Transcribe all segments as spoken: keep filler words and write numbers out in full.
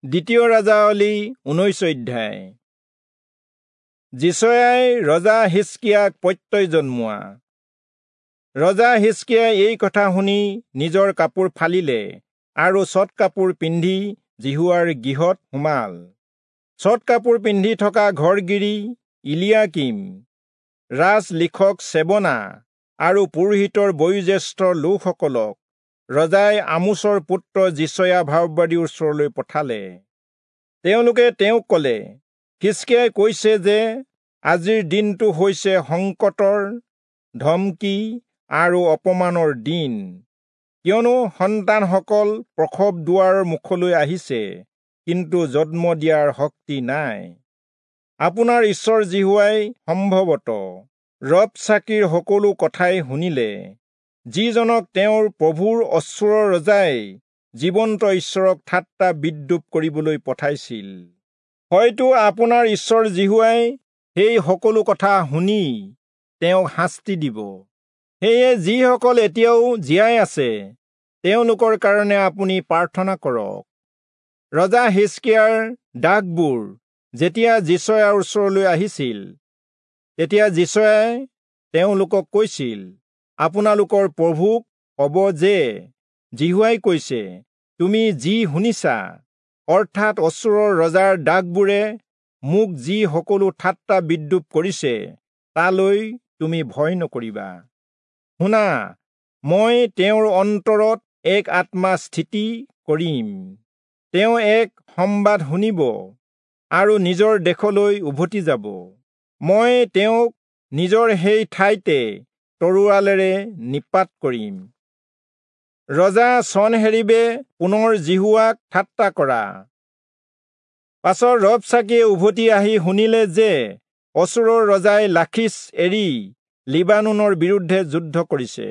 দ্বিতীয় ৰাজাৱলী ঊনৈশ অধ্যায়। যিচয়াই ৰজা হিষ্কিয়াক প্ৰত্যয় জন্মোৱা। ৰজা হিষ্কিয়াই এই কথা শুনি নিজৰ কাপোৰ ফালিলে আৰু চট কাপোৰ পিন্ধি যিহোৱাৰ গৃহত সোমাল। চট কাপোৰ পিন্ধি থকা ঘৰগিৰি ইলিয়াকীম, ৰাজ লিখক চেবনা আৰু পুৰোহিতৰ বয়োজ্যেষ্ঠ লোকসকলক ৰজাই আমোচৰ পুত্ৰ যিচয়া ভাববাদীৰ ওচৰলৈ পঠালে। তেওঁলোকে তেওঁক ক'লে, হিষ্কিয়াই কৈছে যে আজিৰ দিনটো হৈছে সংকটৰ, ধমকি আৰু অপমানৰ দিন, কিয়নো সন্তানসকল প্ৰসৱ দুৱাৰৰ মুখলৈ আহিছে, কিন্তু জন্ম দিয়াৰ শক্তি নাই। আপোনাৰ ঈশ্বৰ যিহোৱাই সম্ভৱতঃ ৰবচাকীৰ সকলো কথাই শুনিলে, যিজনক তেওঁৰ প্ৰভুৰ অচূৰৰ ৰজাই জীৱন্ত ঈশ্বৰক ঠাট্টা বিদ্ৰূপ কৰিবলৈ পঠাইছিল। হয়তো আপোনাৰ ঈশ্বৰ যিহোৱাই সেই সকলো কথা শুনি তেওঁক শাস্তি দিব। সেয়ে যিসকল এতিয়াও জীয়াই আছে তেওঁলোকৰ কাৰণে আপুনি প্ৰাৰ্থনা কৰক। ৰজা হিষ্কিয়াৰ দাসবোৰ যেতিয়া যিচয়াৰ ওচৰলৈ আহিছিল, তেতিয়া যিচয়াই তেওঁলোকক কৈছিল, আপোনালোকৰ প্ৰভুক ক'ব যে যিহোৱাই কৈছে, তুমি যি শুনিছা, অৰ্থাৎ অচূৰৰ ৰজাৰ দাসবোৰে মোক যি সকলো ঠাট্টা বিদ্ৰূপ কৰিছে, তালৈ তুমি ভয় নকৰিবা। শুনা, মই তেওঁৰ অন্তৰত এক আত্মা স্থিতি কৰিম, তেওঁ এক সম্বাদ শুনিব আৰু নিজৰ দেশলৈ উভতি যাব। মই তেওঁক নিজৰ সেই ঠাইতে তৰোৱালেৰে নিপাত কৰিম। ৰজা চনহেৰীবে পুনৰ যিহোৱাক ঠাট্টা কৰা। পাছত ৰবচাকীয়ে উভতি আহি শুনিলে যে অচূৰৰ ৰজাই লাখীচ এৰি লিবানোনৰ বিৰুদ্ধে যুদ্ধ কৰিছে।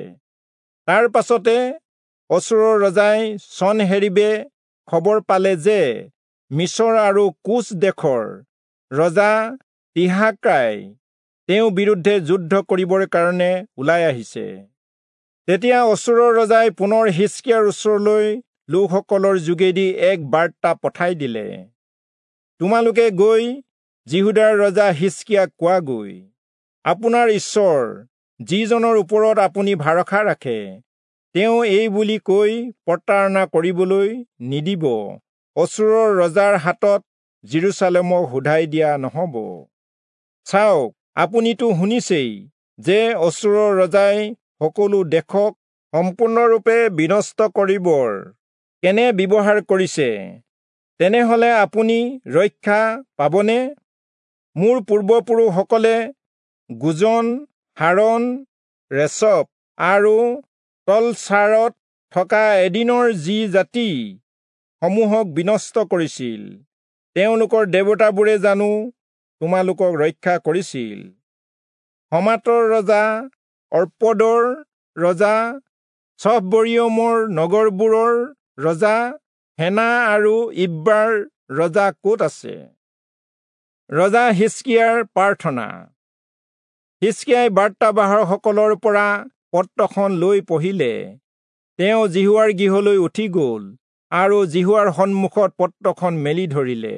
তাৰ পাছতে অচূৰৰ ৰজাই চনহেৰীবে খবৰ পালে যে মিছৰ আৰু কুচ দেশৰ ৰজা তিৰহাকাই তেওঁৰ বিৰুদ্ধে যুদ্ধ কৰিবৰ কাৰণে ওলাই আহিছে। তেতিয়া অচূৰৰ ৰজাই পুনৰ হিষ্কিয়াৰ ওচৰলৈ লোকসকলৰ যোগেদি এক বাৰ্তা পঠাই দিলে, তোমালোকে গৈ যিহূদাৰ ৰজা হিষ্কিয়াক কোৱাগৈ, আপোনাৰ ঈশ্বৰ যিজনৰ ওপৰত আপুনি ভৰসা ৰাখে, তেওঁ এই বুলি কৈ প্ৰতাৰণা কৰিবলৈ নিদিব, অচূৰৰ ৰজাৰ হাতত যিৰূচালেমক শোধাই দিয়া নহ'ব। চাওক, আপুনিতো শুনিছেই যে অচূৰৰ ৰজাই সকলো দেশক সম্পূৰ্ণৰূপে বিনষ্ট কৰিবৰ কেনে ব্যৱহাৰ কৰিছে, তেনেহ'লে আপুনি ৰক্ষা পাবনে? মোৰ পূৰ্বপুৰুষসকলে গোজন, হাৰণ, ৰেচপ আৰু তলচাৰত থকা এদিনৰ যি জাতি সমূহক বিনষ্ট কৰিছিল, তেওঁলোকৰ দেৱতাবোৰে জানো তোমালোকক ৰক্ষা কৰিছিল? হমাতৰ ৰজা, অৰ্পদৰ ৰজা, চফবৰিয়মৰ নগৰবোৰৰ ৰজা, হেনা আৰু ইব্বাৰ ৰজা ক'ত আছে? ৰজা হিষ্কিয়াৰ প্ৰাৰ্থনা। হিষ্কিয়াই বাৰ্তাবাহকসকলৰ পৰা পত্ৰখন লৈ পঢ়িলে। তেওঁ যিহোৱাৰ গৃহলৈ উঠি গ'ল আৰু যিহোৱাৰ সন্মুখত পত্ৰখন মেলি ধৰিলে।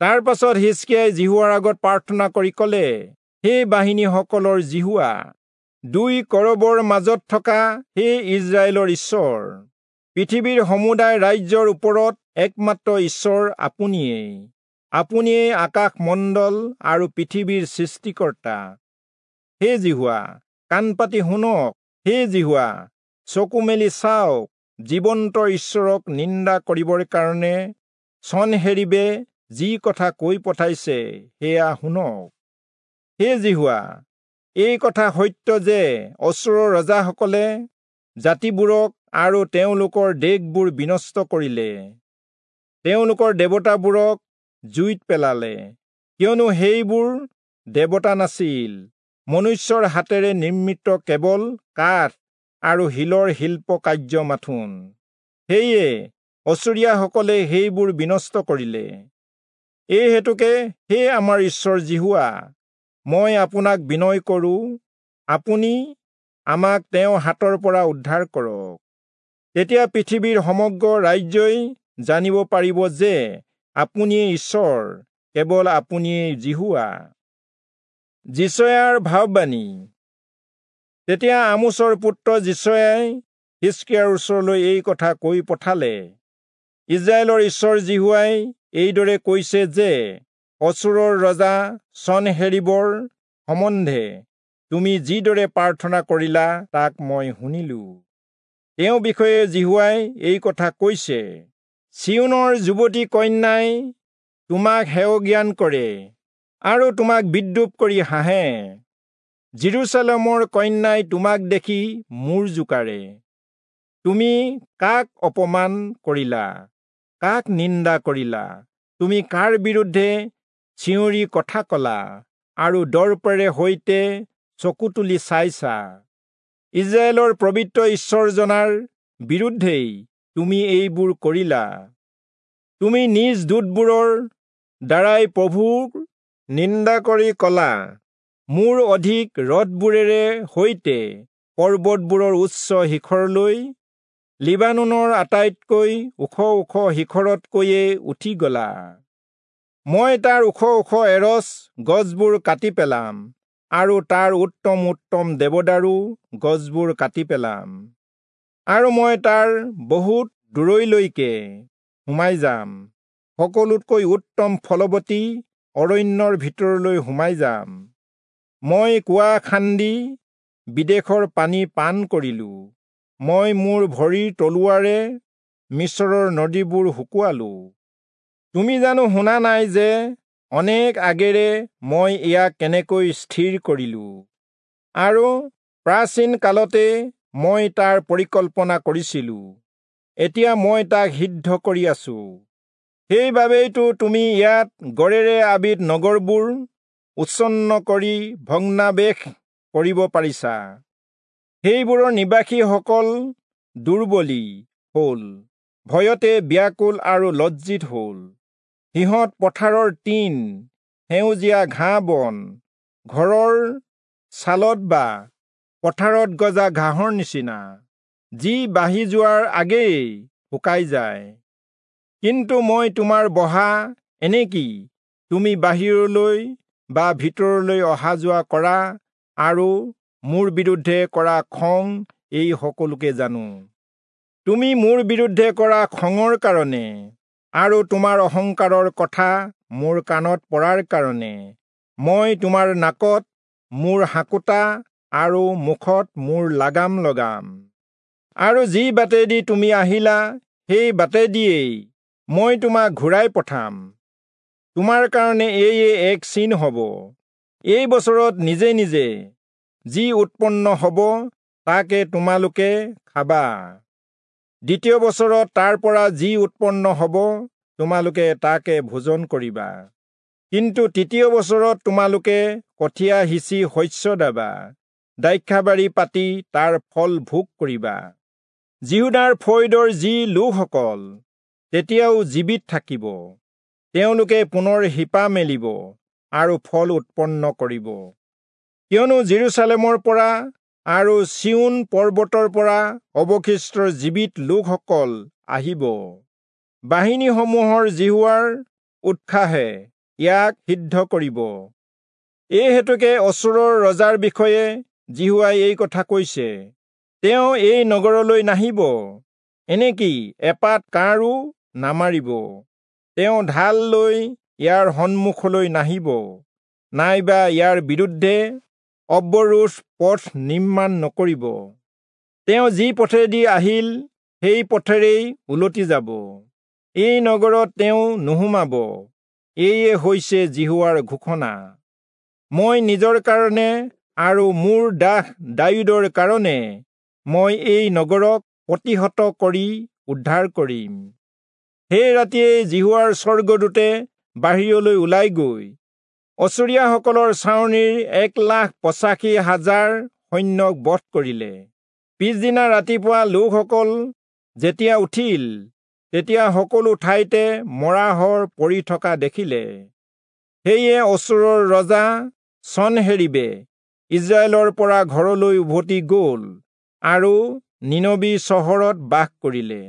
তাৰ পাছত হিষ্কিয়াই যিহোৱাৰ আগত প্ৰাৰ্থনা কৰি ক'লে, হে বাহিনীসকলৰ যিহোৱা, দুই কৰবৰ মাজত থকা হে ইস্ৰায়েলৰ ঈশ্বৰ, পৃথিৱীৰ সমুদায় ৰাজ্যৰ ওপৰত একমাত্ৰ ঈশ্বৰ আপুনিয়েই। আপুনিয়েই আকাশমণ্ডল আৰু পৃথিৱীৰ সৃষ্টিকৰ্তা। হে যিহোৱা, কাণ পাতি শুনক, হে যিহোৱা, চকু মেলি চাওক, জীৱন্ত ঈশ্বৰক নিন্দা কৰিবৰ কাৰণে চনহেৰীবে যি কথা কৈ পঠাইছে সেয়া শুনক। হে যিহোৱা, এই কথা সত্য যে অচূৰৰ ৰজাসকলে জাতিবোৰক আৰু তেওঁলোকৰ দেশবোৰ বিনষ্ট কৰিলে, তেওঁলোকৰ দেৱতাবোৰক জুইত পেলালে, কিয়নো সেইবোৰ দেৱতা নাছিল, মনুষ্যৰ হাতেৰে নিৰ্মিত কেৱল কাঠ আৰু শিলৰ শিল্পকাৰ্য মাথোন। সেয়ে অচূৰীয়াসকলে সেইবোৰ বিনষ্ট কৰিলে। এই হেতুকে হে আমাৰ ঈশ্বৰ যিহোৱা, মই আপোনাক বিনয় কৰোঁ, আপুনি আমাক তেওঁৰ হাতৰ পৰা উদ্ধাৰ কৰক। তেতিয়া পৃথিৱীৰ সমগ্ৰ ৰাজ্যই জানিব পাৰিব যে আপুনিয়েই ঈশ্বৰ, কেৱল আপুনিয়েই যিহোৱা। যিচয়াৰ ভাববাণী। তেতিয়া আমোচৰ পুত্ৰ যিচয়াই হিষ্কিয়াৰ ওচৰলৈ এই কথা কৈ পঠালে, ইস্ৰায়েলৰ ঈশ্বৰ যিহোৱাই এইদৰে কৈছে যে অচূৰৰ ৰজা চনহেৰীবৰ সম্বন্ধে তুমি যিদৰে প্ৰাৰ্থনা কৰিলা তাক মই শুনিলো। তেওঁ বিষয়ে যিহোৱাই এই কথা কৈছে, চিয়োনৰ যুৱতী কন্যাই তোমাক হেয়জ্ঞান কৰে আৰু তোমাক বিদ্ৰূপ কৰি হাঁহে। যিৰূচালেমৰ কন্যাই তোমাক দেখি মূৰ জোকাৰে। তুমি কাক অপমান কৰিলা, কাক নিন্দা কৰিলা? তুমি কাৰ বিৰুদ্ধে চিঞৰি কথা কলা আৰু দৰ্পেৰে সৈতে চকু তুলি চাইছা? ইস্ৰায়েলৰ পবিত্ৰ ঈশ্বৰজনাৰ বিৰুদ্ধেই তুমি এইবোৰ কৰিলা। তুমি নিজ দূতবোৰৰ দ্বাৰাই প্ৰভুৰ নিন্দা কৰি কলা, মোৰ অধিক ৰথবোৰেৰে সৈতে পৰ্বতবোৰৰ উচ্চ শিখৰলৈ, লিবানোনৰ আটাইতকৈ ওখ ওখ শিখৰতকৈয়ে উঠি গলা। মই তাৰ ওখ ওখ এৰচ গছবোৰ কাটি পেলাম আৰু তাৰ উত্তম উত্তম দেৱদাৰু গছবোৰ কাটি পেলাম, আৰু মই তাৰ বহুত দূৰৈলৈকে সোমাই যাম, সকলোতকৈ উত্তম ফলৱতী অৰণ্যৰ ভিতৰলৈ সোমাই যাম। মই কুঁৱা খান্দি বিদেশৰ পানী পান কৰিলো, মই মোৰ ভৰিৰ তলুৱাৰে মিচৰৰ নদীবোৰ শুকুৱালো। তুমি জানো শুনা নাই যে অনেক আগেৰে মই ইয়াক কেনেকৈ স্থিৰ কৰিলো, আৰু প্ৰাচীন কালতে মই তাৰ পৰিকল্পনা কৰিছিলো। এতিয়া মই তাক সিদ্ধ কৰি আছো। সেইবাবেইতো তুমি ইয়াত গড়েৰে আবিত নগৰবোৰ উচ্ছন্ন কৰি ভগ্নাৱেশ কৰিব পাৰিছা। সেইবোৰৰ নিবাসীসকল দুৰ্বলী হ'ল, ভয়তে ব্যাকুল আৰু লজ্জিত হ'ল। সিহঁত পথাৰৰ তৃণ, সেউজীয়া ঘাঁহ বন, ঘৰৰ ছালত বা পথাৰত গজা ঘাঁহৰ নিচিনা, যি বাঢ়ি যোৱাৰ আগেয়েই শুকাই যায়। কিন্তু মই তোমাৰ বহা, এনেকি তুমি বাহিৰলৈ বা ভিতৰলৈ অহা যোৱা কৰা আৰু মোৰ বিৰুদ্ধে কৰা খং এই সকলোকে জানো। তুমি মোৰ বিৰুদ্ধে কৰা খঙৰ কাৰণে আৰু তোমাৰ অহংকাৰৰ কথা মোৰ কাণত পৰাৰ কাৰণে মই তোমাৰ নাকত মোৰ হাকোটা আৰু মুখত মোৰ লাগাম লগাম। আৰু যি বাটেদি তুমি আহিলা সেই বাটেদিয়েই মই তোমাক ঘূৰাই পঠাম। তোমাৰ কাৰণে এয়ে এক চিন হ'ব, এই বছৰত নিজে নিজে যি উৎপন্ন হ'ব তাকে তোমালোকে খাবা। দ্বিতীয় বছৰত তাৰ পৰা যি উৎপন্ন হ'ব তোমালোকে তাকে ভোজন কৰিবা। কিন্তু তৃতীয় বছৰত তোমালোকে কঠীয়া সিঁচি শস্য দাবা, দ্ৰাক্ষাবাৰী পাতি তাৰ ফল ভোগ কৰিবা। যিহূদাৰ ফৈদৰ যি লোকসকল তেতিয়াও জীৱিত থাকিব, তেওঁলোকে পুনৰ শিপা মেলিব আৰু ফল উৎপন্ন কৰিব। কিয়নো যিৰূচালেমৰ পৰা আৰু চিয়োন পৰ্বতৰ পৰা অৱশিষ্ট জীৱিত লোকসকল আহিব। বাহিনীসমূহৰ যিহোৱাৰ উৎসাহে ইয়াক সিদ্ধ কৰিব। এই হেতুকে অচূৰৰ ৰজাৰ বিষয়ে যিহোৱাই এই কথা কৈছে, তেওঁ এই নগৰলৈ নাহিব, এনেকি এপাত কাঁড়ো নামাৰিব। তেওঁ ঢাল লৈ ইয়াৰ সন্মুখলৈ নাহিব, নাইবা ইয়াৰ বিৰুদ্ধে অৱৰোধ পথ নিৰ্মাণ নকৰিব। তেওঁ যি পথেদি আহিল সেই পথেৰেই উলটি যাব, এই নগৰত তেওঁ নোসোমাব। এয়ে হৈছে যিহোৱাৰ ঘোষণা। মই নিজৰ কাৰণে আৰু মোৰ দাস দায়ূদৰ কাৰণে মই এই নগৰক প্ৰতিহত কৰি উদ্ধাৰ কৰিম। সেই ৰাতিয়েই যিহোৱাৰ স্বৰ্গদূতে বাহিৰলৈ ওলাই গৈ অচূৰীয়াসকলৰ ছাউনিৰ এক লাখ পঁচাশী হাজাৰ সৈন্যক বধ কৰিলে। পিছদিনা ৰাতিপুৱা লোকসকল যেতিয়া উঠিল, তেতিয়া সকলো ঠাইতে মৰাশৰ পৰি থকা দেখিলে। সেয়ে অচূৰৰ ৰজা চনহেৰীবে ইস্ৰায়েলৰ পৰা ঘৰলৈ উভতি গ'ল আৰু নীনবি চহৰত বাস কৰিলে।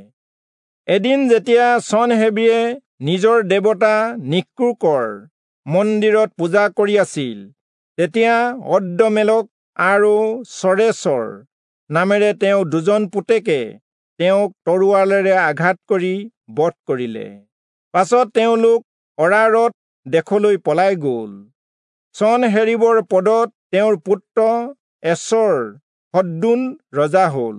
এদিন যেতিয়া চনহেৰীবে নিজৰ দেৱতা নিক্ৰোকৰ মন্দিৰত পূজা কৰি আছিল, তেতিয়া অদ্ৰম্মেলক আৰু চৰেচৰ নামেৰে তেওঁ দুজন পুতেকে তেওঁক তৰোৱালেৰে আঘাত কৰি বধ কৰিলে। পাছত তেওঁলোক অৰাৰট দেশলৈ পলাই গ'ল। চনহেৰীবৰ পদত তেওঁৰ পুত্ৰ এচৰ হদ্দোন ৰজা হ'ল।